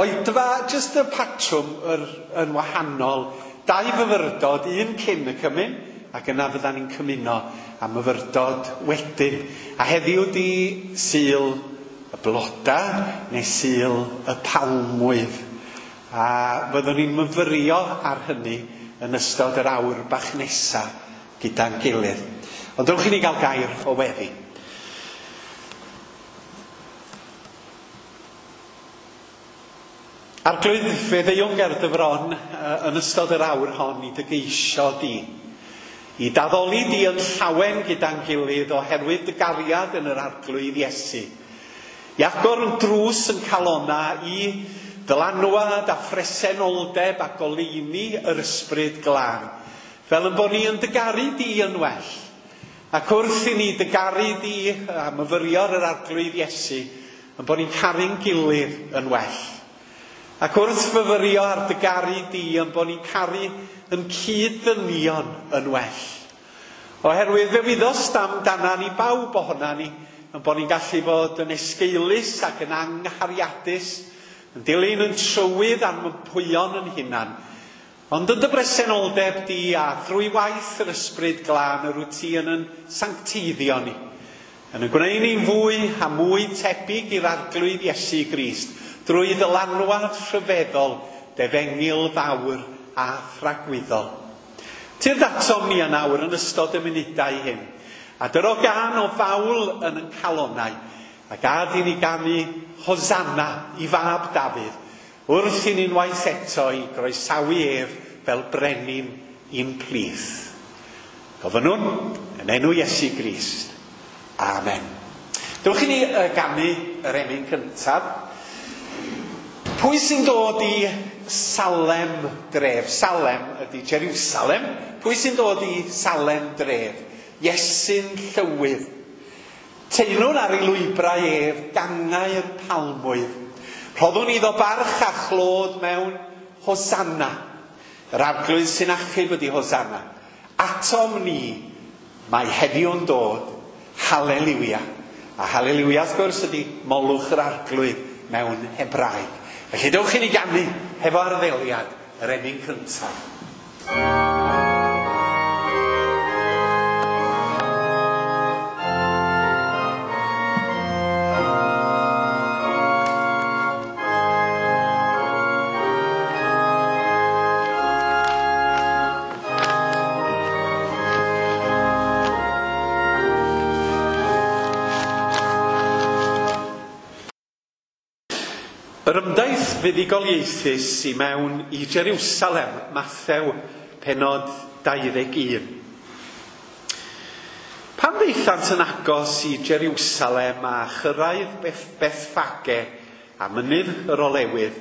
Oedfa, jyst y patrwm yr, yn wahanol. Dau fyfyrdod, un cyn y cymun, ac yna fyddan ni'n cymuno a myfyrdod wedyn. A heddiw di Sul y Bloda, neu Sul y Palmwydd. A fyddwn ni'n myfyrio ar hynny yn ystod yr awr bach nesa gyda'n gilydd. Ond dewch i ni gael gair o weddi. Arglwydd, fe ddeuwn ger dy fron yn ystod yr awr hon i dy geisio di. I daddoli di yn llawen gyda'n gilydd oherwydd dy gariad yn yr Arglwydd Iesu. I agor yn drws yn calona i ddylanwad a phresenoldeb a goleuni yr Ysbryd Glân, fel yn bod ni yn dy garu di yn well. Ac wrth i ni dy garu di a myfyrio ar yr Arglwydd Iesu, yn bod ni'n caru'n gilydd yn well. Ac wrth fyfyrio ar dy garu di, yn bod ni'n caru yn cyd-ddynion yn well. Oherwydd fe wyddost amdana ni bawb ohona ni, yn bod ni'n gallu bod yn esgeulus ac yn anghariadus, yn dilyn yn trywydd a'n mympwyon yn hunan. Ond yn dy bresenoldeb di a thrwy waith yr Ysbryd Glân yr wyt ti yn yn sancteiddio ni, yn y gwneud ni'n fwy a mwy tebyg i'r Arglwydd Iesu Grist, drwy ddylanwad rhyfeddol, defengyl fawr a thragwyddol. Tyrd atom ni yn awr yn ystod y munudau hyn, a dyro gân o fawl yn yn calonnau, a gad i ni ganu Hosanna i fab Dafydd, wrth i ni'n waith eto i groesawu ef fel brenin i'n plith. Gofynnwn yn enw Iesu Grist. Amen. Dewch i ni ganu yr emyn cyntaf. Pwy sy'n dod i Salem dref? Salem ydy Jerusalem. Pwy sy'n dod i Salem dref? Iesu'n llywydd. Teyrwn ar ei lwybrau ef, gangau'r palmwydd. Rhoddwn iddo barch a chlod mewn Hosanna. Yr Arglwydd sy'n achub ydy Hosanna. Atom ni, mae heddiw'n dod. Haleliwia. A haleliwia, wrth gwrs, ydy molwch yr Arglwydd mewn Hebraeg. Felly dewch i ni ganu hefo arddeliad yr emyn cyntaf. Yr ymdaith fuddugoliaethus i mewn i Jerusalem, Mathew, penod 21. Pan ddaethant yn agos i Jerusalem a chyrraedd Bethffage a mynydd yr Olewydd,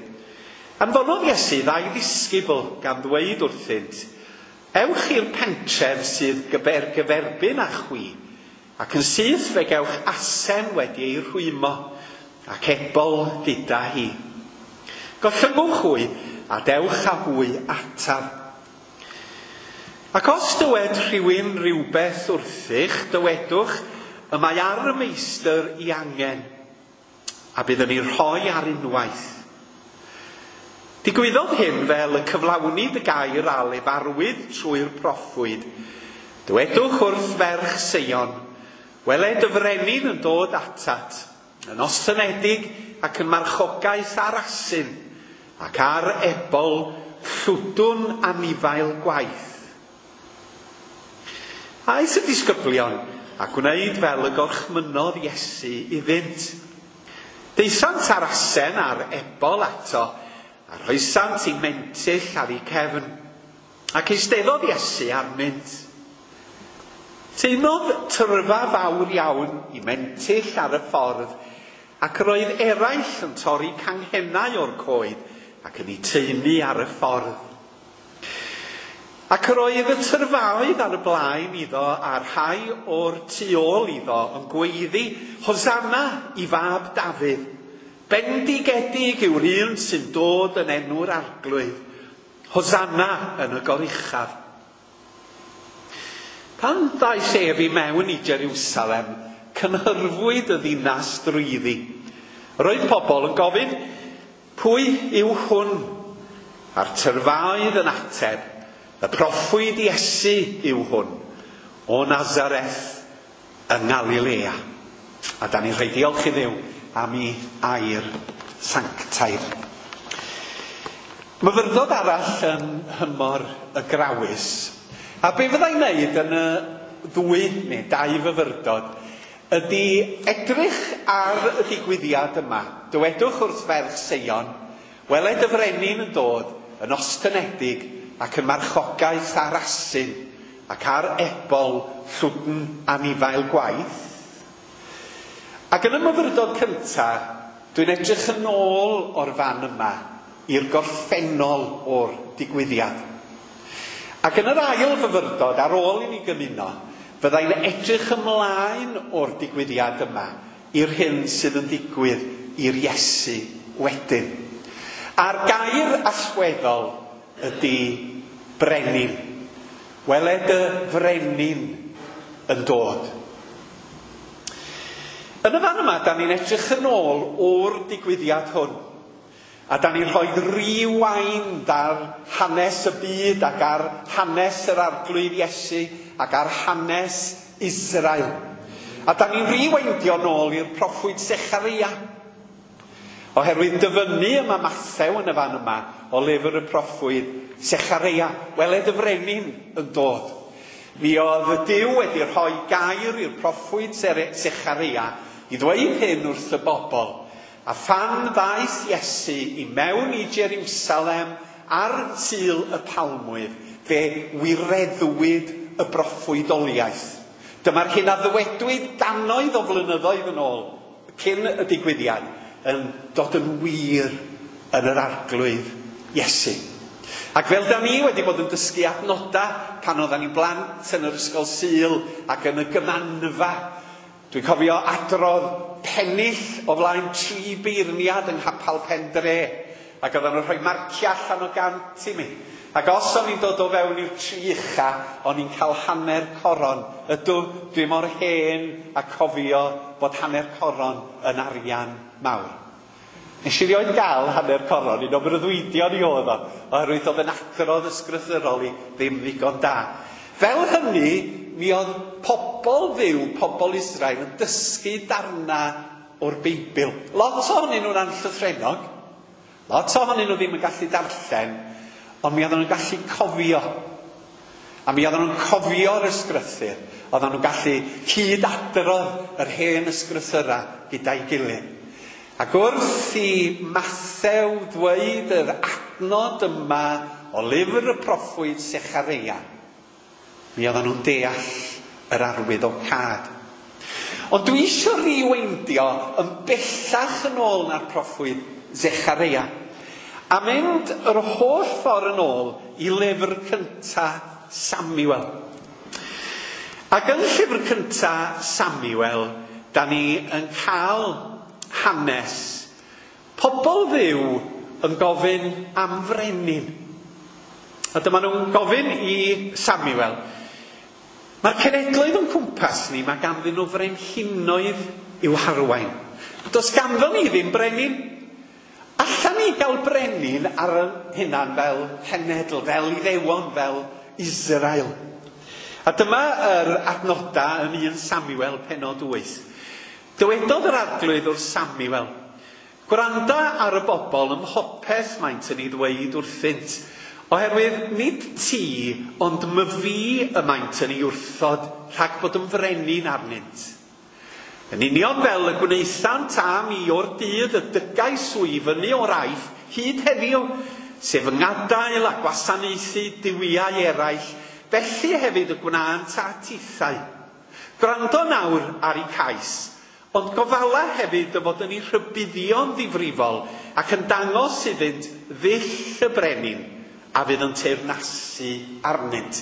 anfonodd Iesu ddau ddisgybl gan ddweud wrthynt, Ewch i'r pentref sydd gyferbyn â chwi, ac yn syth fe gewch asen wedi ei rhwymo, ac ebol gyda hi. Gollyngwch hwy, a dewch â hwy ataf. Ac os dywed rhywun rhywbeth wrthych, dywedwch, y mae ar y meistr i angen, a bydd yn ei rhoi ar unwaith. Digwyddodd hyn fel y cyflawnid y gair a lefarwyd trwy'r proffwyd. Dywedwch wrth ferch Seion, wele dy frenin yn dod atat, yn ostynedig ac yn marchogaeth ar asyn, ac ar ebol llwdwn anifail gwaith. Aeth y disgyblion a gwneud fel y gorchmynnodd Iesu iddynt. Daethant ar asen a'r ebol ato, a rhoesant eu mentyll ar eu cefn, ac eisteddodd Iesu arnynt. Teimlodd tyrfa fawr iawn i mentyll ar y ffordd, ac roedd eraill yn torri canghennau o'r coed ac yn eu taenu ar y ffordd. Ac yr oedd y tyrfaoedd ar y blaen iddo a'r rhai o'r tu ôl iddo yn gweiddi, Hosanna i fab Dafydd. Bendigedig yw'r un sy'n dod yn enw'r Arglwydd. Hosanna yn y goruchaf. Pan ddaeth ef i mewn i Jerusalem, cynhyrfwyd y ddinas drwyddi. Roedd pobl yn gofyn, Pwy yw hwn? A'r tyrfaoedd yn ateb, y proffwyd Iesu yw hwn, o Nazareth yng Ngalilea. A da ni'n rhoi diolch i Dduw am ei air sanctaidd. Myfyrdod arall yn nhymor y Grawys. A be fyddai'n wneud yn y ddwy neu dau fyfyrdod ydy edrych ar y digwyddiad yma. Dywedwch wrth ferch Seion, weled y frenin yn dod yn ostynedig ac yn marchogaeth ar asyn ac ar ebol llwdn anifail gwaith. Ac yn y myfyrdod cyntaf, dwi'n edrych yn ôl o'r fan yma i'r gorffennol o'r digwyddiad. Ac yn yr ail fyfyrdod, ar ôl i ni gymuno, fyddai'n edrych ymlaen o'r digwyddiad yma i'r hyn sydd yn digwydd i'r Iesu wedyn. A'r gair allweddol ydy brenin. Weled y frenin yn dod. Yn y fan yma, da ni'n edrych yn ôl o'r digwyddiad hwn. A da ni'n rhoi rewind ar hanes y byd ac ar hanes yr Arglwydd Iesu ac ar hanes Israel. A da ni'n rewindio nôl i'r proffwyd Secharia. Oherwydd dyfynnu yma Mathew yn y fan yma o lyfr y proffwyd Secharia. Weled y frenin yn dod. Mi oedd y Duw wedi rhoi gair i'r proffwyd Secharia i ddweud hyn wrth y bobl. A phan ddaeth Iesu i mewn i Jerusalem ar Sul y Palmwydd, fe wireddwyd y broffwydoliaeth. Dyma'r hyn a ddywedwyd gannoedd o flynyddoedd yn ôl, cyn y digwyddiad, yn dod yn wir yn yr Arglwydd Iesu. Ac fel da ni wedi bod yn dysgu adnodau pan oeddan ni'n blant yn yr ysgol Sul ac yn y gymanfa, dwi'n cofio adrodd pennill o flaen 3 beirniad yng Nghapel Pen Dre, ac oedden nhw'n rhoi marciau allan o 100 i mi. Ac os o'n i'n dod o fewn i'r 3 ucha, o'n i'n cael hanner coron. Ydw, dwi mor hen a cofio bod hanner coron yn arian mawr. Nes i rioed gael hanner coron, un o breuddwydion i oedd o, oherwydd oedd yn adrodd ysgrythurol i ddim ddigon da. Fel hynny, mi oedd pobl Dduw, pobl Israel, yn dysgu darna o'r Beibl. Lot ohonyn nhw'n anllythrennog, lot ohonyn nhw ddim yn gallu darllen, ond mi oedden nhw'n gallu cofio. A mi oedden nhw'n cofio'r ysgrythur. Oedden nhw'n gallu cyd-adrodd yr hen ysgrythura gyda'i gilydd. Ac wrth i Mathew ddweud yr adnod yma o lyfr y proffwyd Secharia, mi oedden nhw'n deall yr arwydd o cad. Ond dwi eisiau rewindio yn bellach yn ôl na'r proffwyd Zecharia, a mynd yr holl ffordd yn ôl i lyfr cynta Samuel. Ac yn llyfr cynta Samuel, da ni yn cael hanes pobl Dduw yn gofyn am frenin. A dyma nhw'n gofyn i Samuel, mae'r cenedloedd o'n cwmpas ni, mae ganddyn nhw frenhinoedd i'w harwain. Does ganddo ni ddim brenin. Allan ni gael brenin ar ein hunan fel cenedl, fel Iddewon, fel Israel. A dyma yr adnoda yn 1 Samuel penod 8. Dywedodd yr Arglwydd wrth Samuel, gwranda ar y bobl ym mhopeth maent yn ei ddweud wrthynt, oherwydd nid ti, ond myfi y maent yn ei wrthod rhag bod yn frenin arnynt. Yn union fel y gwnaethant am i o'r dydd y dygais i fyny o'r Aifft hyd heddiw, sef yng ngadael a gwasanaethu duwiau eraill, felly hefyd y gwnânt a tithau. Gwrando nawr ar eu cais, ond gofala hefyd y fod yn eu rhybuddio'n ddifrifol ac yn dangos iddynt ddull y brenin a fydd yn teyrnasu arnynt.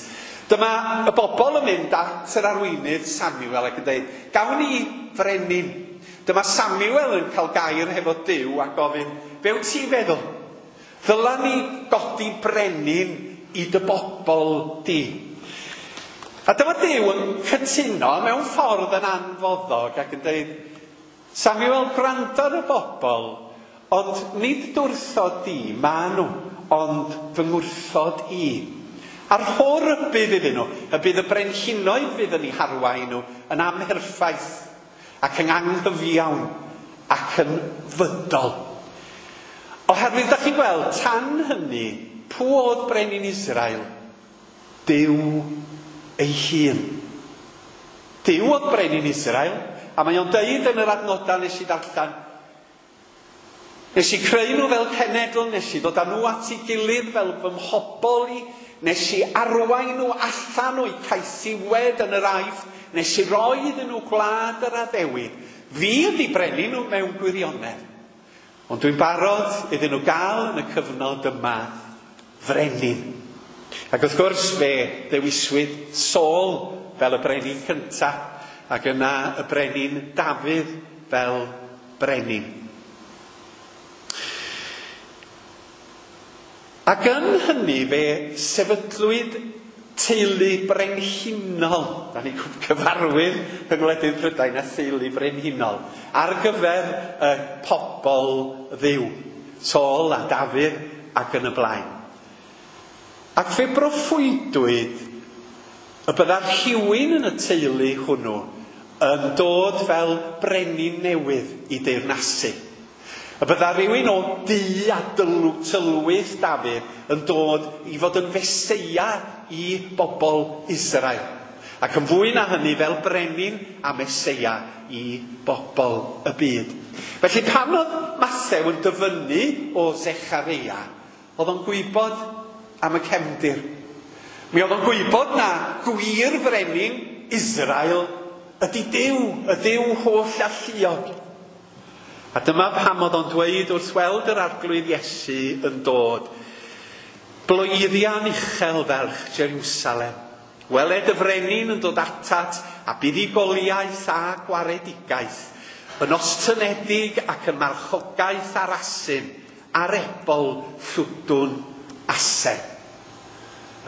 Dyma y bobl yn mynd at yr arweinydd Samuel ac yn dweud, gawn ni frenin. Dyma Samuel yn cael gair hefo Duw a gofyn, be wyt ti'n feddwl? Ddyla ni godi brenin i dy bobl di. A dyma Duw yn cytuno mewn ffordd yn anfoddog ac yn dweud, Samuel, gwrando ar y bobl, Ond nid dwrthod di, ma nhw, ond fy ngwrthod i. A'r rho rybudd iddyn nhw, y bydd y brenhinoedd fydd yn eu harwain nhw yn amherffaith ac yn anghyfiawn ac yn fydol. Oherwydd, da chi'n gweld, tan hynny, pwy oedd brenin Israel? Duw ei hun. Duw oedd brenin Israel, a mae o'n deud yn yr adnodau nes i ddarllen, nes i creu nhw fel cenedl, nes i ddod â nhw at ei gilydd fel fy mhobl i, nes i arwain nhw allan o'u caethiwed yn yr Aifft, nes i roi iddyn nhw gwlad yr addewid. Fi ydi brenin nhw mewn gwirionedd. Ond dwi'n barod iddyn nhw gael yn y cyfnod yma frenin. Ac wrth gwrs fe ddewiswyd Saul fel y brenin cyntaf, ac yna y brenin Dafydd fel brenin. Ac yn hynny fe sefydlwyd teulu brenhinol, da ni'n cyfarwydd yng ngwledydd Prydain a theulu brenhinol, ar gyfer y pobl Dduw, Saul a Dafydd ac yn y blaen. Ac fe broffwydwyd y bydda rhywun yn y teulu hwnnw yn dod fel brenin newydd i deyrnasu. Y bydda rhywun o du a tylwyth Dafydd yn dod i fod yn Feseia i bobl Israel. Ac yn fwy na hynny fel brenin a Meseia i bobl y byd. Felly pan oedd Mathew yn dyfynnu o Zechareia, oedd o'n gwybod am y cefndir. Mi oedd o'n gwybod na gwir frenin Israel ydy Duw, y Duw holl alluog. A dyma pam oedd o'n dweud wrth weld yr Arglwydd Iesu yn dod, bloeddian uchel ferch Jerusalem. Weled y frenin yn dod atat a buddugoliaeth a gwaredigaeth, yn ostynedig ac yn marchogaeth ar asyn, ar ebol llwdwn asen.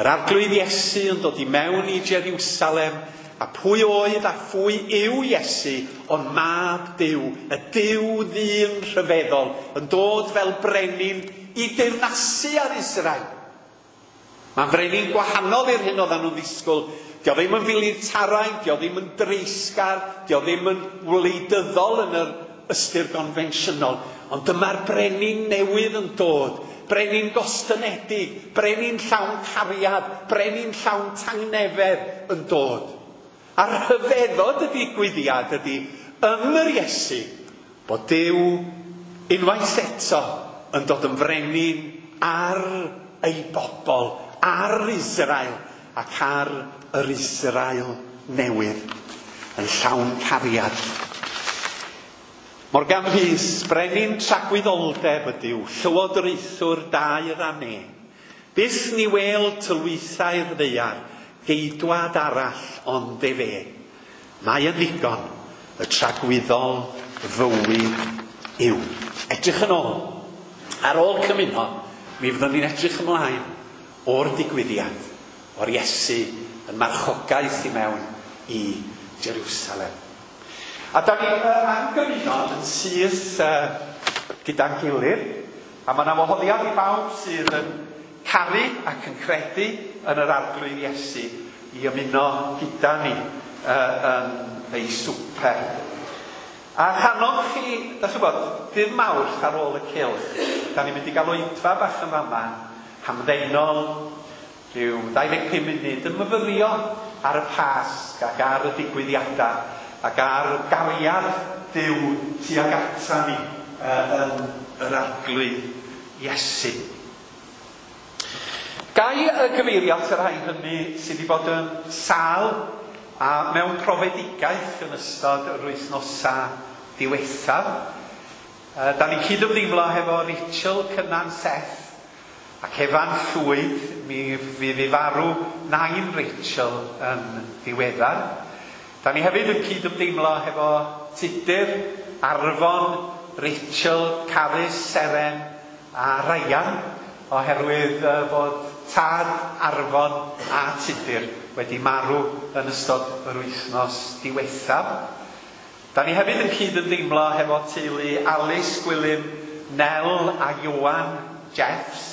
Yr Arglwydd Iesu yn dod i mewn i Jerusalem, a pwy oedd a phwy yw Iesu, ond mab Duw, y Duw ddyn rhyfeddol, yn dod fel brenin i deyrnasu ar Israel. Mae'n frenin gwahanol i'r hyn oedden nhw'n ddisgwyl. Dio ddim yn filitaraidd, dio ddim yn dreisgar, dio ddim yn wleidyddol yn yr ystyr gonfensiynol. Ond dyma'r brenin newydd yn dod, brenin gostynedig, brenin llawn cariad, brenin llawn tangnefedd yn dod. A'r rhyfeddod y digwyddiad ydy yn yr Iesu bod Duw unwaith eto yn dod yn frenin ar ei bobl, ar Israel ac ar yr Israel newydd, yn llawn cariad. Morgan Rhys, brenin tragwyddoldeb ydyw, llywodraethwr dair a ne. Byth ni wel tylwythau'r ddaear, geidwad arall ond efe. Mae yn ddigon, y tragwyddol fywyd yw. Edrych yn ôl. Ar ôl cymuno, mi fyddwn ni'n edrych ymlaen o'r digwyddiad, o'r Iesu yn marchogaeth i mewn i Jerusalem. A da ni am gymuno yn syth gyda'n gilydd, a mae yna wahoddiad i bawb sydd yn caru ac yn credu yn yr Arglwydd Iesu i ymuno gyda ni yn ei swper. A rhannoch chi, da chi'n gwybod, dydd Mawrth ar ôl y cylch, da ni'n mynd i gael oedfa bach yn fama, hamddenol, rhyw 25 munud yn myfyrio ar y Pasg ac ar y digwyddiadau ac ar gariad Duw tuag ata ni yn yr Arglwydd Iesu. Gai y gyfeirio at y rhai hynny sydd wedi bod yn sâl a mewn profedigaeth yn ystod yr wythnosau diwethaf. Da ni'n cydymdeimlo hefo Rachel Cynan Seth ac Efan Llwyd, mi fydd i farw nain Rachel yn ddiweddar. Da ni hefyd yn cydymdeimlo hefo Tudur, Arfon, Rachel, Carys, Seren a Ryan, oherwydd fod tad Arfon a Tudur wedi marw yn ystod yr wythnos diwethaf. Da ni hefyd yn cydymdeimlo hefo teulu Alice, Gwilym, Nel a Ioan Jeffs,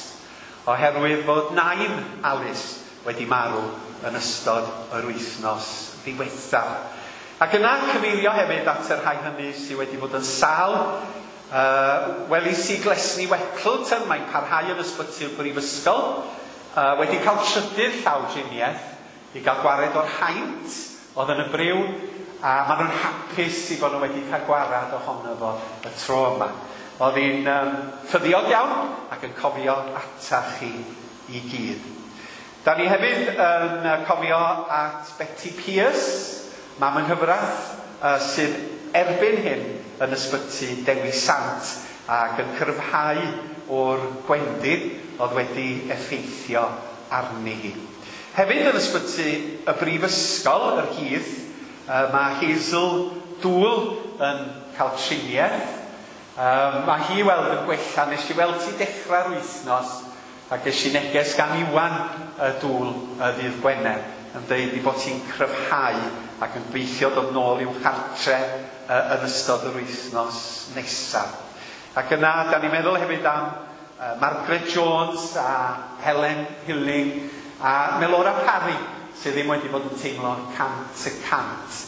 oherwydd fod nain Alice wedi marw yn ystod yr wythnos ddiwethaf. Ac yna cyfeirio hefyd at y rhai hynny sydd wedi bod yn sâl. Welis i Glesni Wettleton, mae'n parhau yn ysbyty'r brifysgol, wedi cael trydydd llawdriniaeth i gael gwared o'r haint oedd yn y briw, a maen nhw'n hapus i fod nhw wedi cael gwared ohono fo y tro yma. Oedd hi'n ffyddiog iawn ac yn cofio atach chi i gyd. Da ni hefyd yn cofio at Betty Pierce, mam yng nghyfraith, sydd erbyn hyn yn ysbyty Dewi Sant ac yn cryfhau o'r gwendid oedd wedi effeithio arni hi. Hefyd yn ysbyty y Brifysgol, yr Heath, mae Hazel Dŵl yn cael triniaeth. Mae hi weld yn gwella. Nes i weld ti dechrau'r wythnos a ges i neges gan Iwan y Dŵl y ddydd Gwener yn dweud ei bod hi'n cryfhau ac yn gobeithio dod nôl i'w chartre yn ystod yr wythnos nesaf. Ac yna, da ni'n meddwl hefyd am Margaret Jones a Helen Hilling a Melora Parry, sydd ddim wedi bod yn teimlo 100%.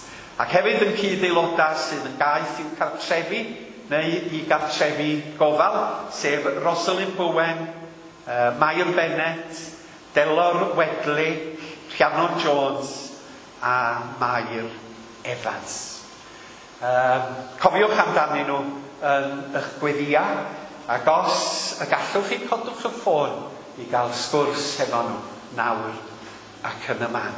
Ac hefyd yn cyd-aelodau sydd yn gaeth i'w cartrefi neu i gartrefi gofal, sef Rosalind Bowen, Mair Bennett, Delor Wedley, Rhiannon Jones a Mair Evans. Cofiwch amdanyn nhw yn eich gweddia, ac os y gallwch chi, codwch y ffôn i gael sgwrs hefo nhw nawr ac yn y man.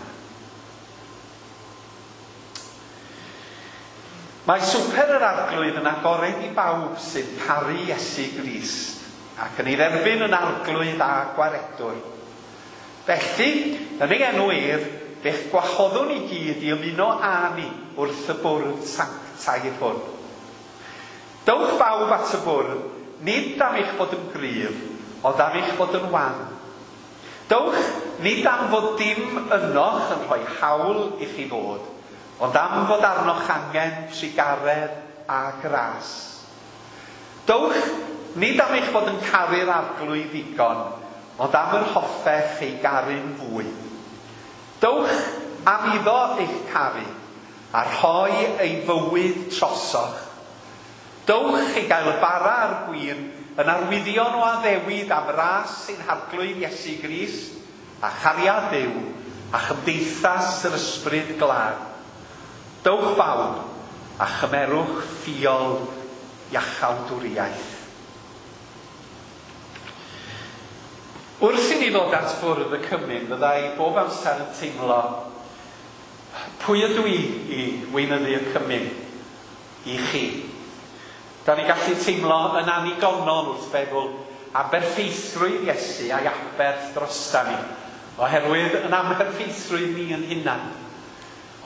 Mae swper yr Arglwydd yn agored i bawb sy'n caru Iesu Grist ac yn ei dderbyn yn Arglwydd a Gwaredwr. Felly, yn ei enw ef, fe'ch gwahoddwn i gyd i ymuno â ni wrth y bwrdd sanctaidd hwn. Dowch bawb at y bwrdd, nid am eich bod yn gryf, ond am eich bod yn wan. Dowch, nid am fod dim ynoch yn rhoi hawl i chi ddod, ond am fod arnoch angen trugaredd a gras. Dowch, nid am eich bod yn caru'r Arglwydd ddigon, ond am yr hoffech ei garu'n fwy. Dowch am iddo eich caru, a rhoi ei fywyd trosoch. Dowch i gael y bara a'r gwin yn arwyddion o addewid am ras ein Harglwydd Iesu Grist, a chariad Duw, a chymdeithas yr Ysbryd Glân. Dowch bawb, a chymerwch ffiol iachawdwriaeth. Wrth i ni ddod at fwrdd y cymun, fydda i bob amser yn teimlo, pwy ydw i i weinyddu y cymun i chi? Da ni gallu teimlo yn annigonol wrth feddwl am berffeithrwydd Iesu a'i aberth drosta ni, oherwydd yn amherffeithrwydd ni yn hunan.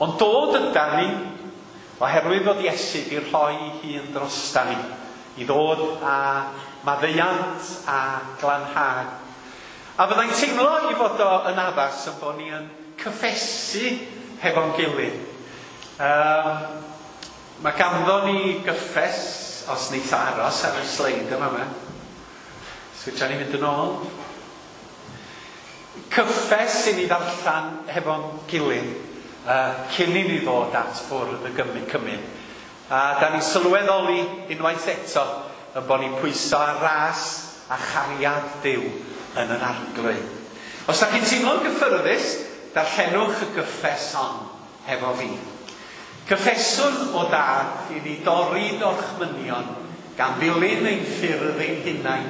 Ond dod yda ni, oherwydd fod Iesu di rhoi ei hun drosta ni, i ddod â maddeuant a glanhad. A fyddai'n teimlo i fod o yn addas yn bod ni yn cyffesu hefo'n gilydd. Mae ganddo ni gyffes, os neith o aros ar y sleid yma yma. Switcha ni fynd yn ôl. Cyffes i ni ddarllen hefo'n gilydd cyn i ni ddod at fwrdd y cymun. A da ni'n sylweddoli unwaith eto yn bod ni'n pwyso ar ras a chariad Duw yn yr Arglwydd. Os da chi'n teimlo'n gyffyrddus, darllenwch y gyffes hon hefo fi. Cyffeswn o dad i ni dorri dorchmynion gan ddilyn ein ffyrdd ein hunain.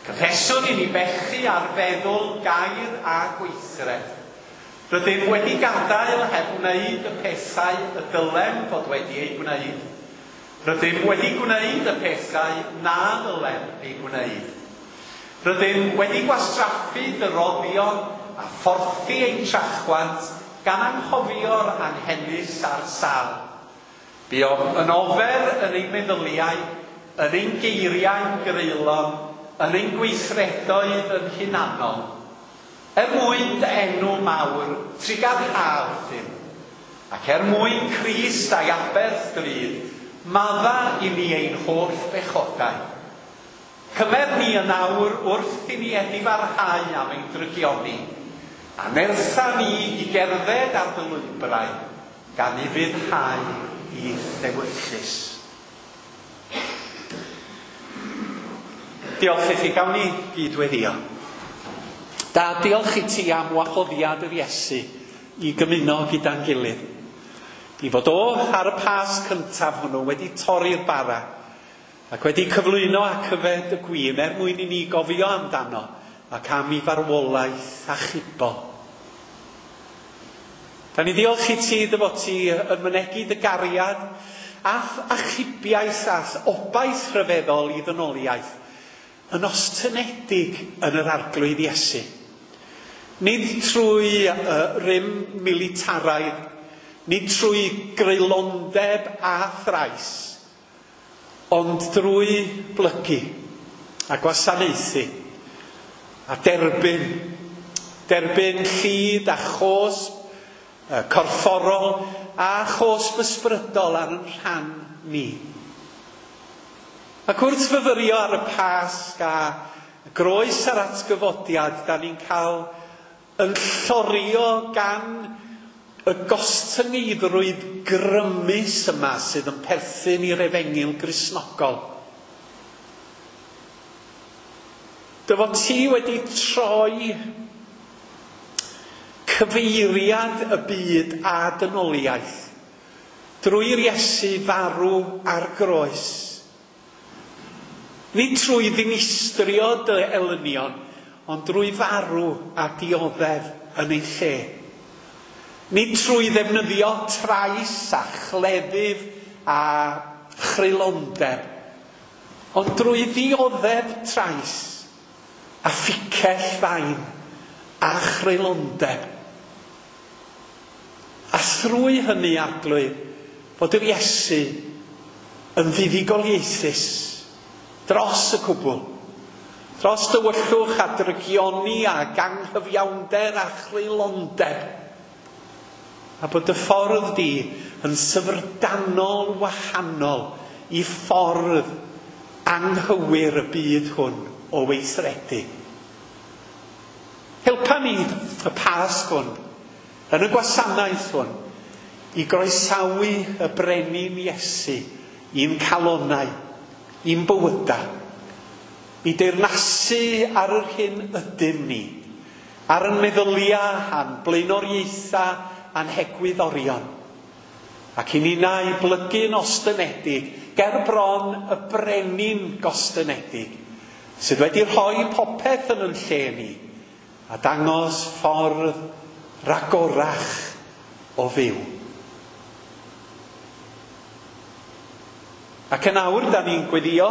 Cyffeswn i ni bechu ar feddwl, gair a gweithred. Rydym wedi gadael heb wneud y pethau y dylem fod wedi eu gwneud. Rydym wedi gwneud y pethau na ddylem eu gwneud. Rydym wedi gwastraffu dyroddion a phorthi ein trachwant gan anghofio'r anghenus a'r sâl. Buom yn ofer yn ein meddyliau, yn ein geiriau'n greulon, yn ein gweithredoedd yn hunanol. Er mwyn dy enw mawr, trugarhaf Duw, ac er mwyn Crist a'i aberth drud, madda i ni ein holl bechodau. Cymer ni yn awr wrth i ni edifarhau am ein drygioni, a nertha ni i gerdded ar dy lwybrau, gan ufuddhau i'th ewyllys. Diolch i chi, gawn ni gyd weddio. Da, diolch i ti am wahoddiad yr Iesu i gymuno gyda'n gilydd. I fod o ar y Pasg cyntaf hwnnw wedi torri'r bara ac wedi cyflwyno ac yfed y gwin er mwyn i ni gofio amdano ac am ei farwolaeth achubol. Da ni ddiolch i ti dy fod ti yn mynegi dy gariad a'th achubiaeth a'th obaith rhyfeddol i ddynoliaeth yn ostynedig yn yr Arglwydd Iesu. Nid trwy rym militaraidd, nid trwy greulondeb a thrais, ond drwy blygu a gwasanaethu a derbyn, derbyn llid a chosb corfforol a chosb ysbrydol ar yn rhan ni. Ac wrth fyfyrio ar y Pasg a groes a'r atgyfodiad, da ni'n cael yn llorio gan y gostyngeiddrwydd grymus yma sydd yn perthyn i'r efengyl Gristnogol. Dy fod ti wedi troi cyfeiriad y byd a dynoliaeth drwy'r Iesu farw ar groes. Nid trwy ddinistrio dy elynion, ond drwy farw a dioddef yn ei lle. Nid trwy ddefnyddio trais a chleddyf a chreulondeb, ond drwy ddioddef trais a phicell fain a chreulondeb. A thrwy hynny, Arglwydd, fod yr Iesu yn fuddugoliaethus dros y cwbl, dros dywyllwch a drygioni a ganghyfiawnder a chreulondeb, a bod y ffordd di yn syfrdanol wahanol i ffordd anghywir y byd hwn o weithredu. Helpa ni y Pasg hwn, yn y gwasanaeth hwn, i groesawu y brenin Iesu i'n calonnau, i'n bywydau, i deyrnasu ar yr hyn ydym ni, ar yn meddyliau a'n blaenoriaethau a'n hegwyddorion, ac i ninnau blygu'n ostynedig ger bron y brenin gostynedig, sydd wedi rhoi popeth yn yn lle ni, a dangos ffordd ragorach o fyw. Ac yn awr, da ni'n gweddio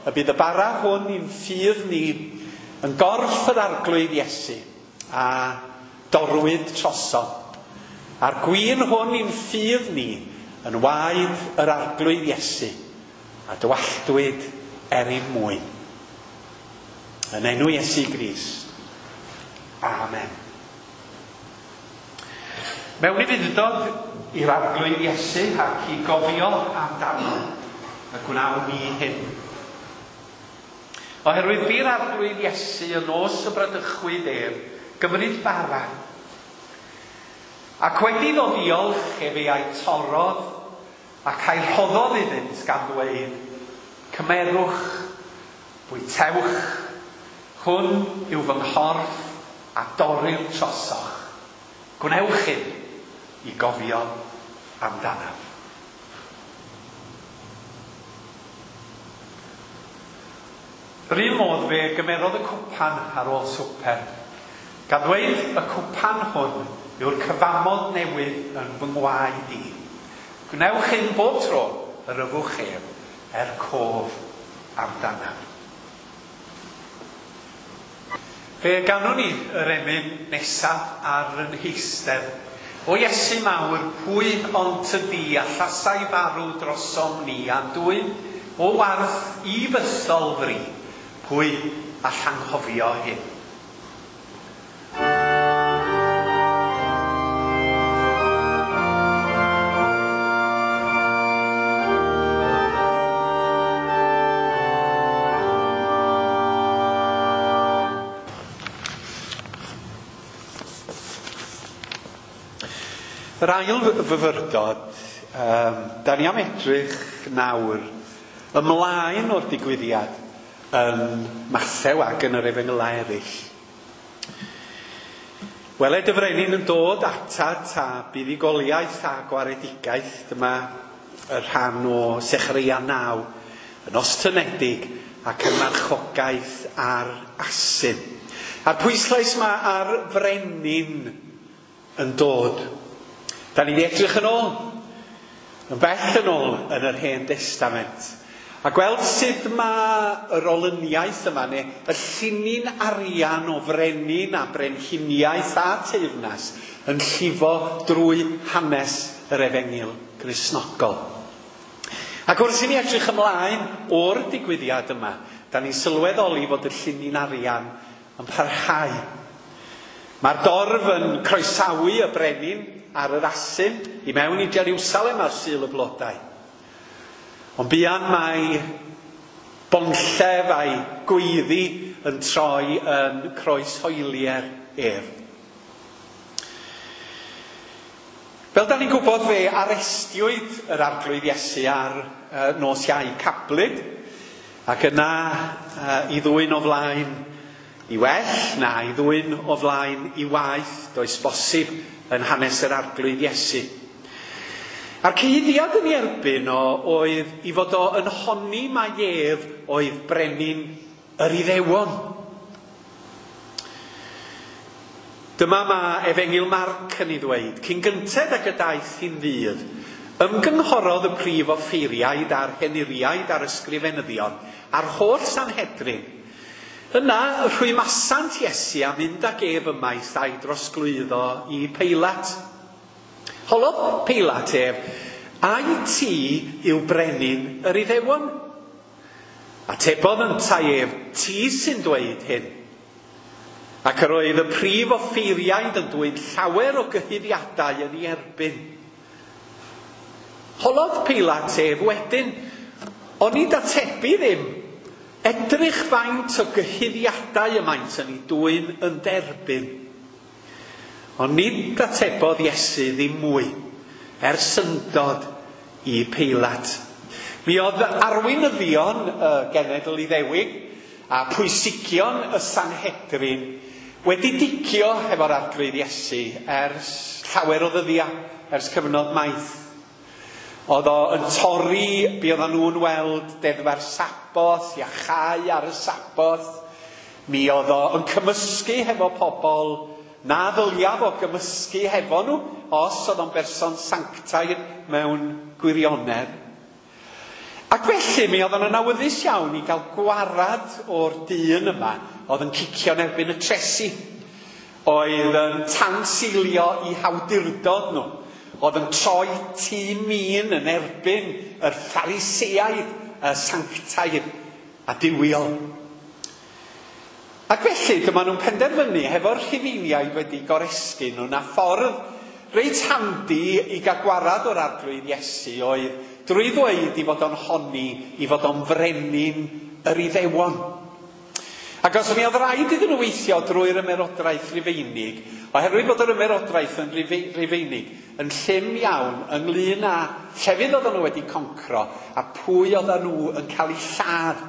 y bydd y bara hwn i'n ffydd ni yn gorff yr Arglwydd Iesu a dorwyd trosom. A'r gwin hwn i'n ffydd ni yn waed yr Arglwydd Iesu a dywalltwyd er ein mwyn. Yn enw Iesu Grist. Amen. Mewn ufudd-dod i'r Arglwydd Iesu ac i gofio amdano, y gwnawn ni hyn. Oherwydd bu'r Arglwydd Iesu yn nos y bradychwyd ef, gymryd bara. Ac wedi iddo ddiolch, efe a'i torrodd ac a'i rhoddodd iddynt gan ddweud, Cymerwch, bwytewch, hwn yw fy nghorff a dorrir trosoch. Gwnewch hyn i gofio amdanaf. Yr un modd fe gymerodd y cwpan ar ôl swper, gan ddweud, y cwpan hwn yw'r cyfamod newydd yn fy ngwaed i. Gwnewch hyn bob tro yr yfwch ef er cof amdanaf. Fe ganwn ni yr emyn nesaf ar yn heistedd. O Iesu mawr, pwy ond tydi allasai farw drosom ni a'n dwyn o warth i fythol fri, pwy all anghofio hyn? Yr ail fyfyrdod, da ni am edrych nawr ymlaen o'r digwyddiad yn Mathew ac yn yr Efengylau eraill. Weled y frenin yn dod atat a buddugoliaeth a gwaredigaeth, dyma y rhan o Sechareia 9, yn ostynedig ac yn marchogaeth ar asyn. A'r pwyslais mae ar frenin yn dod. Da ni wedi edrych yn ôl, yn bell yn ôl yn yr Hen Destament. A gweld sut mae yr olyniaeth yma, neu y llinyn arian o frenin a brenhiniaeth a teyrnas yn llifo drwy hanes yr Efengyl Gristnogol. Ac wrth i ni edrych ymlaen o'r digwyddiad yma, da ni'n sylweddoli fod y llinyn arian yn parhau. Mae'r dorf yn croesawu y brenin ar yr asyn i mewn i Jerusalem ar Sul y Blodau. Ond buan mae bonllef a'i gweiddi yn troi yn croeshoelier ef. Fel da ni'n gwybod, fe arestiwyd yr Arglwydd Iesu ar nos Iau Cablyd, ac yna i ddwyn o flaen i well, na i ddwyn o flaen i waeth, does bosib yn hanes yr Arglwydd Iesu. A'r cyhuddiad yn ei erbyn o oedd i fod o yn honni mai ef oedd brenin yr Iddewon. Dyma mae Efengyl Marc yn ei ddweud, cyn gynted ag y daeth hi'n ddydd, ymgynghorodd y prif offeiriaid a'r henuriaid a'r ysgrifenyddion a'r holl Sanhedrin. Yna rhwymasant Iesu a mynd ag ef ymaith a'i drosglwyddo i Peilat. Holodd Peilat ef, ai ti yw brenin yr Iddewon? Atebodd yntau ef, ti sy'n dweud hyn. Ac yr oedd y prif offeiriaid yn dwyn llawer o gyhuddiadau yn ei erbyn. Holodd Peilat ef wedyn, onid atebu ddim, edrych faint o gyhuddiadau y maent yn ei dwyn yn derbyn. Ond nid atebodd Iesu ddim mwy, er syndod i Peilat. Mi oedd arweinyddion y genedl Iddewig a pwysigion y Sanhedrin wedi dicio hefo'r Arglwydd Iesu ers llawer o ddyddiau, ers cyfnod maith. Oedd o yn torri be oedden nhw'n weld deddfa'r Saboth, iachau ar y Saboth. Mi oedd o yn cymysgu hefo pobl na ddylia fo gymysgu hefo nhw, os oedd o'n berson sanctaidd mewn gwirionedd. Ac felly mi oedden nhw'n awyddus iawn i gael gwarad o'r dyn yma oedd yn cicio'n erbyn y tresi, oedd yn tanseilio i hawdurdod nhw, oedd yn troi tŷ min yn erbyn yr Phariseaidd, y sanctaidd a duwiol. Ac felly dyma nhw'n penderfynu hefo'r Rhufeiniaid wedi goresgyn nhw na ffordd reit handi i gael gwarad o'r Arglwydd Iesu oedd drwy ddweud i fod o'n honni, i fod o'n frenin yr Iddewon. Ac os mi oedd rhaid iddyn nhw weithio drwy'r ymerodraeth Rufeinig, oherwydd bod yr ymerodraeth yn Rufeinig yn llym iawn ynglyn â llefydd oedden nhw wedi concro a pwy oedden nhw yn cael eu lladd.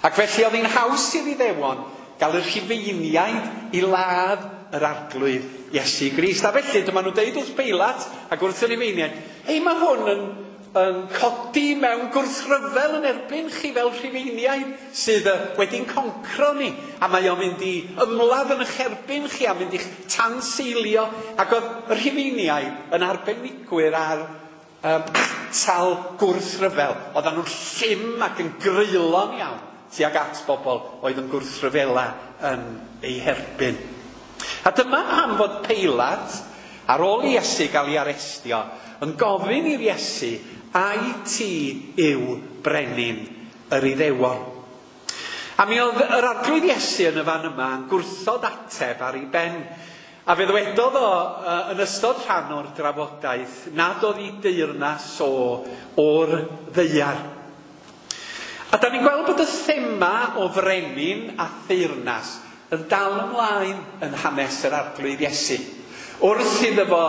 Ac felly oedd hi'n haws i'r Iddewon gael y Rhufeiniaid i ladd yr Arglwydd Iesu Grist. A felly dyma nhw'n deud wrth Beilat ac wrth y Rhufeiniaid, hei, mae hwn yn codi mewn gwrthryfel yn erbyn chi fel Rhufeiniaid sydd wedi'n concro ni, a mae o'n mynd i ymladd yn eich erbyn chi a mynd i'ch tanseilio. Ac oedd y Rhufeiniaid yn arbenigwyr ar atal gwrthryfel. Oedden nhw'n llym ac yn greulon iawn tuag at bobl oedd yn gwrthryfela yn eu herbyn. A dyma pam fod Peilat, ar ôl i Iesu gael ei arestio, yn gofyn i'r Iesu, ai ti yw brenin yr Iddewon? A mi oedd yr Arglwydd Iesu yn y fan yma yn gwrthod ateb ar ei ben. A fe ddwedodd o yn ystod rhan o'r drafodaeth nad oedd ei deyrnas o o'r ddaear. A da ni'n gweld bod y thema o frenin a theyrnas yn dal ymlaen yn hanes yr Arglwydd Iesu. Wrth iddo fo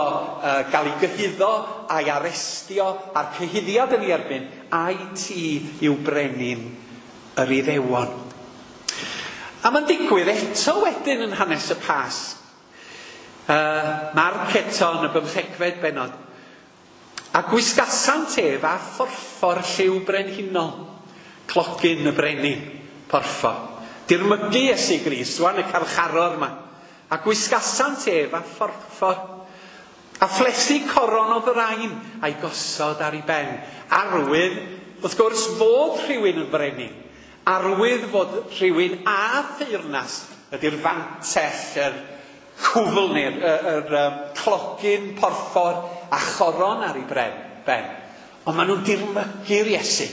gael ei gyhuddo a'i arestio a'r cyhuddiad yn ei erbyn, ai ti yw brenin yr Iddewon? A mae'n digwydd eto wedyn yn hanes y Pasg. Marc eto yn y 15fed bennod. A gwisgasant ef â phorffor lliw brenhinol, clogyn y brenin, porffor. Dirmygu Iesu Grist, rwan y carcharor yma. A gwisgasant ef â phorffor. A phlethu coron o ddrain a'i gosod ar ei ben. Arwydd, wrth gwrs, fod rhywun yn brenin. Arwydd fod rhywun â theyrnas ydy'r fantell, yr cwfl neu'r clogyn porffor a choron ar ei ben. Ond maen nhw'n dirmygu'r Iesu,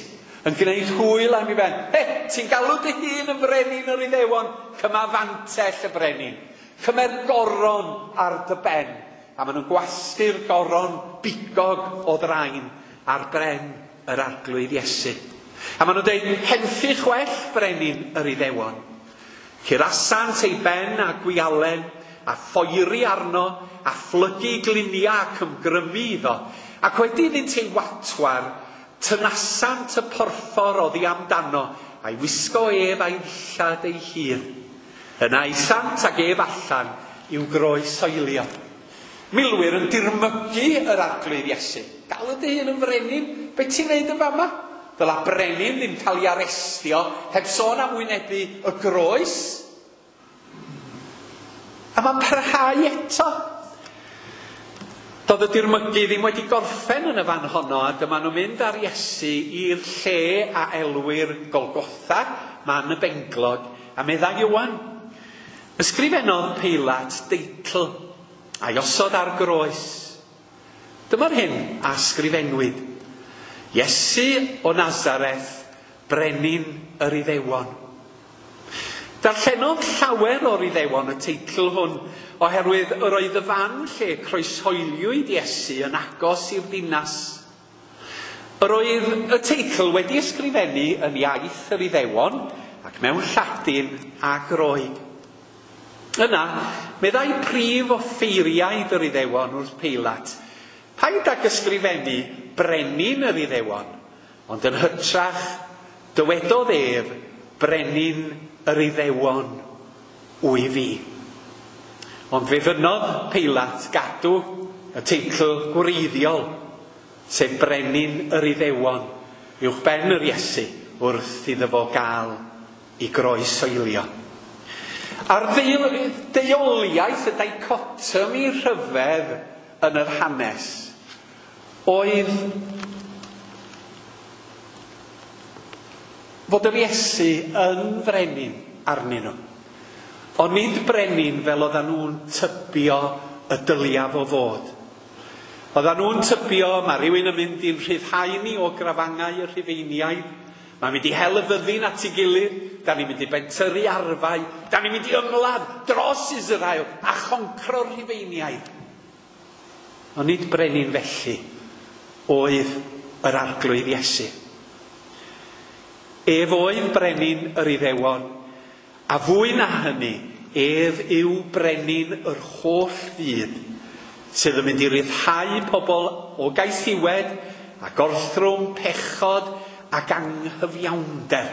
yn gwneud hwyl am ei ben. He, ti'n galw dy hun yn frenin yr Iddewon, cyma fantell y brenin. Cymer goron ar dy ben. A maen nhw'n gwasgu'r goron bigog o ddrain ar bren yr Arglwydd Iesu. A maen nhw'n dweud, henffych well brenin yr Iddewon. Curasant ei ben a gwialen, a phoeri arno, a phlygu gliniau ac ymgrymu iddo. Ac wedi iddynt ei watwar, tynasant y porffor oddi amdano, a'i wisgo ef a'i ddillad ei hun. Yna aethant ag ef allan i'w groesoelio. Milwyr yn dirmygu yr Arglwydd Iesu. Galw dy hun yn frenin, be ti'n neud yn fama? Ddyla brenin ddim cael ei arestio, heb sôn am wynebu y groes. A mae'n parhau eto. Doedd y dirmygu ddim wedi gorffen yn y fan honno, a dyma nhw'n mynd ar Iesu i'r lle a elwir Golgotha, man y benglog, a meddai Ioan. Ysgrifennodd Peilat deitl a'i osod ar groes. Dyma'r hyn a ysgrifennwyd. Iesu o Nazareth, brenin yr Iddewon. Darllenodd llawer o'r Iddewon y teitl hwn, oherwydd yr oedd y fan lle croeshoeliwyd Iesu yn agos i'r ddinas. Yr oedd y teitl wedi ysgrifennu yn iaith yr Iddewon ac mewn Lladin a Groeg. Yna, meddai prif offeiriaid yr Iddewon wrth Peilat, paid ag ysgrifennu brenin yr Iddewon, ond yn hytrach dywedodd ef brenin yr Iddewon wy fi. Ond fe fynnodd Peilat gadw y teitl gwreiddiol, sef brenin yr Iddewon, uwch ben yr Iesu wrth iddo fo gael ei groesoelio. A'r deuoliaeth, y dichotomy rhyfedd yn yr hanes, oedd fod yr Iesu yn frenin arnyn nhw. Ond nid brenin fel oedden nhw'n tybio y dylia fo fod. Oedden nhw'n tybio mae rhywun yn mynd i'n rhyddhau ni o grafangau y Rhufeiniaid. Mae'n mynd i hel y fyddin at ei gilydd, da ni'n mynd i bentyrru arfau, da ni'n mynd i ymladd dros Israel a choncro'r Rhufeiniaid. Ond nid brenin felly oedd yr Arglwydd Iesu. Ef oedd brenin yr Iddewon, a fwy na hynny, ef yw brenin yr holl fyd, sydd yn mynd i ryddhau pobl o gaethiwed a gorthrwm, pechod ac anghyfiawnder.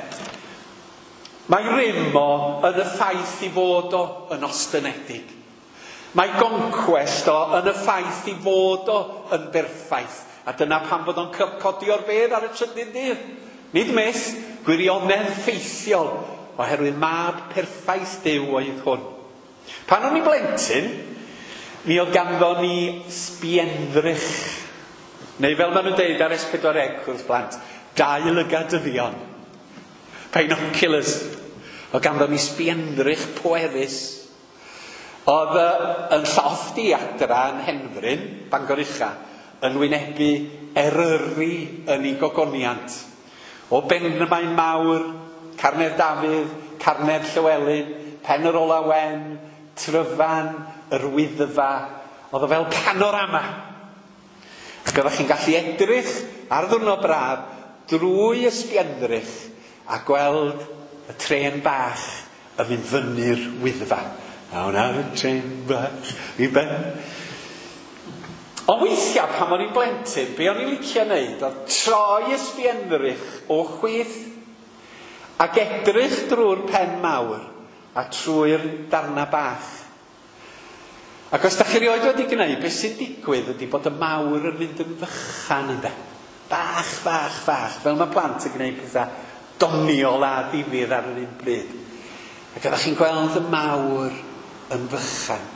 Mae rym o yn y ffaith i fod o yn ostynedig. Mae goncwest o yn y ffaith i fod o yn berffaith. A dyna pam fod o'n codi o'r bedd ar y trydydd dydd. Nid myth, gwirionedd ffeithiol, oherwydd mab perffaith Duw oedd hwn. Pan o'n i'n blentyn, mi oedd ganddo ni sbienddrych, neu fel maen nhw'n deud ar S4C wrth blant, dau lygadyddion, binoculars. Oedd ganddo ni sbienddrych pwerus. Oedd yn llofft i adra yn Henfryn, Bangor Ucha, yn wynebu Eryri yn ei gogoniant. O Benmaen Mawr, Carnedd Dafydd, Carnedd Llywelyn, Pen yr Ola Wen, Tryfan, yr Wyddfa. Oedd o fel panorama. Ac oeddech chi'n gallu edrych ar ddiwrnod braf drwy ysbienddrych a gweld y trên bach yn mynd fyny'r Wyddfa. Awn ar y trên bach i ben. Ond weithiau pan o'n i'n blentyn, be o'n i'n licio wneud oedd troi ysbienddrych o chwith ac edrych drwy'r pen mawr a trwy'r darna bach. Ac os da chi rioed wedi gwneud, beth sy'n digwydd ydy bod y mawr yn mynd yn fychan ynde. Bach, bach, bach, fel mae plant yn gwneud pethau doniol a difyr ar yr un bryd. Ac ydych chi'n gweld y mawr yn fychan.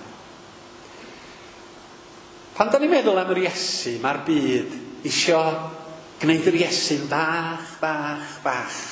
Pan da ni'n meddwl am yr Iesu, mae'r byd isio gwneud yr Iesu'n fach, bach, bach.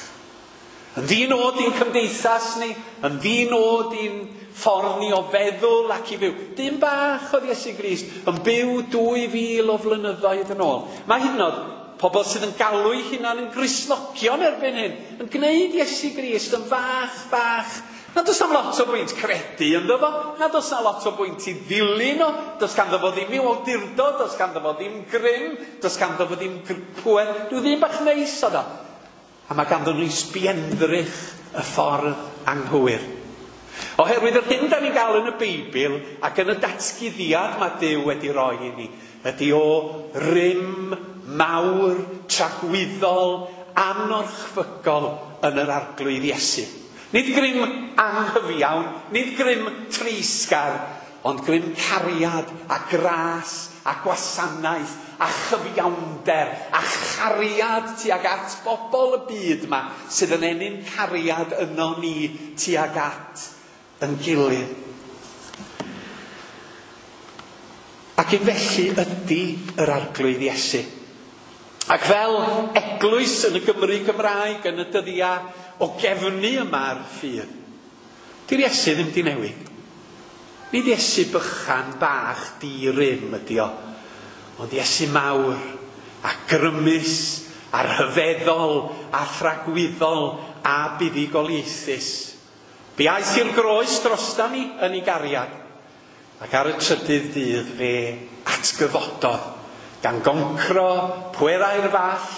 Yn ddi-nod i'n cymdeithas ni, yn ddi-nod i'n ffordd ni o feddwl ac i fyw. Dyn bach oedd Iesu Grist yn byw 2000 o flynyddoedd yn ôl. Mae hyd yn oed pobl sydd yn galw eu hunan yn Gristnogion erbyn hyn, yn gwneud Iesu Grist yn fach, bach. Na does 'na'm lot o bwynt credu ynddo fo, na does 'na lot o bwynt i ddilyn o, does ganddo fo ddim i'w awdurdod, does ganddo fo ddim grym, does ganddo fo ddim pŵer, rhyw ddyn bach neis oedd o. A mae ganddo nhw sbienddrych y ffordd anghywir. Oherwydd yr hyn da ni'n gael yn y Beibl ac yn y datguddiad mae Duw wedi roi i ni, ydy o rym mawr, tragwyddol, anorchfygol yn yr Arglwydd Iesu. Nid grym anghyfiawn, nid grym treisgar, ond grym cariad a gras a gwasanaeth a chyfiawnder a chariad tuag at bobl y byd yma sydd yn ennyn cariad yno ni tuag at yn gilydd. Ac un felly ydy yr Arglwydd Iesu. Ac fel eglwys yn y Gymru Gymraeg yn y dyddiau o gefnu yma ar ffydd, di'r Iesu ddim di newid. Nid Iesu bychan bach di-rym ydi o, ond Iesu mawr a grymus a rhyfeddol a thragwyddol a buddugoliaethus. Fe aeth i'r groes drosta ni yn ei gariad, ac ar y trydydd dydd fe atgyfododd, gan goncro pwerau'r fall,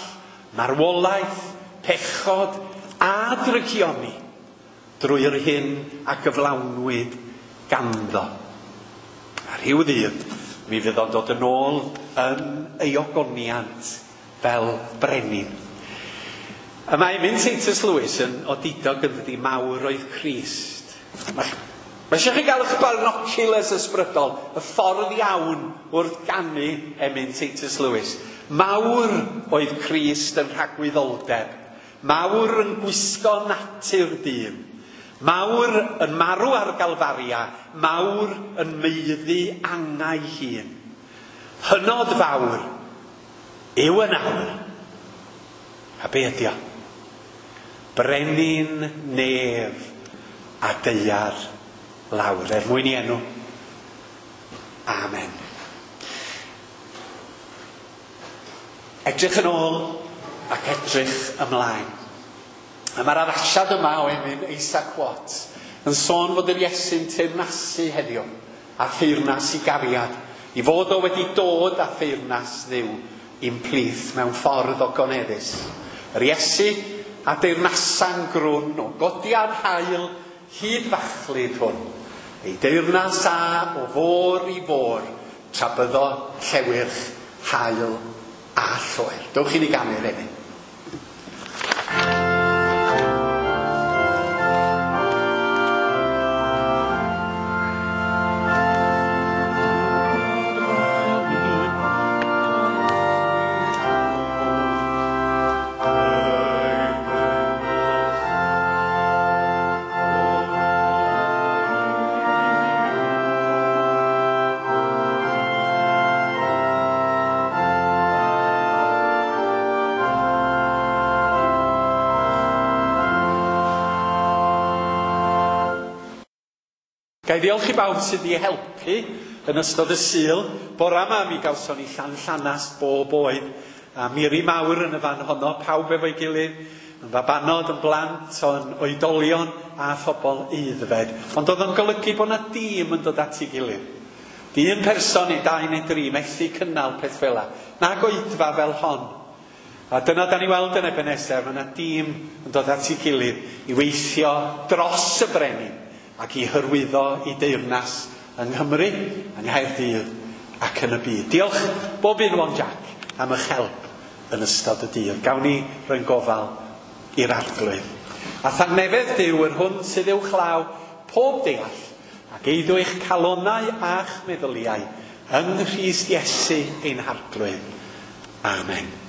marwolaeth, pechod a drygioni drwy'r hyn a gyflawnwyd ganddo. A rhyw ddydd, mi fydd o'n dod yn ôl yn ei ogoniant fel brenin. Y mae emyn Titus Lewis yn odidog yn dydi, mawr oedd Crist. Mae eisiau chi gael eich binoculars ysbrydol, y ffordd iawn wrth ganu emyn Titus Lewis. Mawr oedd Crist yn rhagwyddoldeb. Mawr yn gwisgo natur dyn. Mawr yn marw ar Galfaria. Mawr yn maeddu angau hun. Hynod fawr yw yn awr. A be ydi o? Brenin nef a daear lawr. Er mwyn i enw. Amen. Edrych yn ôl ac edrych ymlaen. A mae'r addasiad yma o emyn Isaac Watts yn sôn fod yr Iesu'n teyrnasu heddiw a theyrnas i gariad, i fod o wedi dod â theyrnas Dduw i'n plith mewn ffordd ogoneddus. Yr Iesu a deyrnasa'n grwn o godiad haul hyd fachlud hwn. Ei deyrnas a o fôr i fôr, tra byddo llewyrch, haul a lloer. Dewch i ni ganu'r emyn. Ga i ddiolch i bawb sydd wedi helpu yn ystod y Sul. Bora yma mi gawson ni llanllanast bob oed. A miri mawr yn y fan honno, pawb efo'i gilydd, yn fabanod, yn blant, yn oedolion a phobl aeddfed. Ond oedd o'n golygu bod yna dîm yn dod at ei gilydd. Dyn person neu dau neu dri methu cynnal peth fel 'na. Nag oedfa fel hon. A dyna da ni weld yn Ebenezer, mae yna dîm yn dod at ei gilydd i weithio dros y brenin ac i hyrwyddo i deyrnas yng Nghymru, yng Nghaerdydd ac yn y byd. Diolch bob un One Jack am eich help yn ystod y dydd. Gawn ni roi'n gofal i'r Arglwydd. A thangnefedd Duw yr hwn sydd uwchlaw pob deall ac eiddo eich calonnau a'ch meddyliau yng Nghrist Iesu ein Harglwydd. Amen.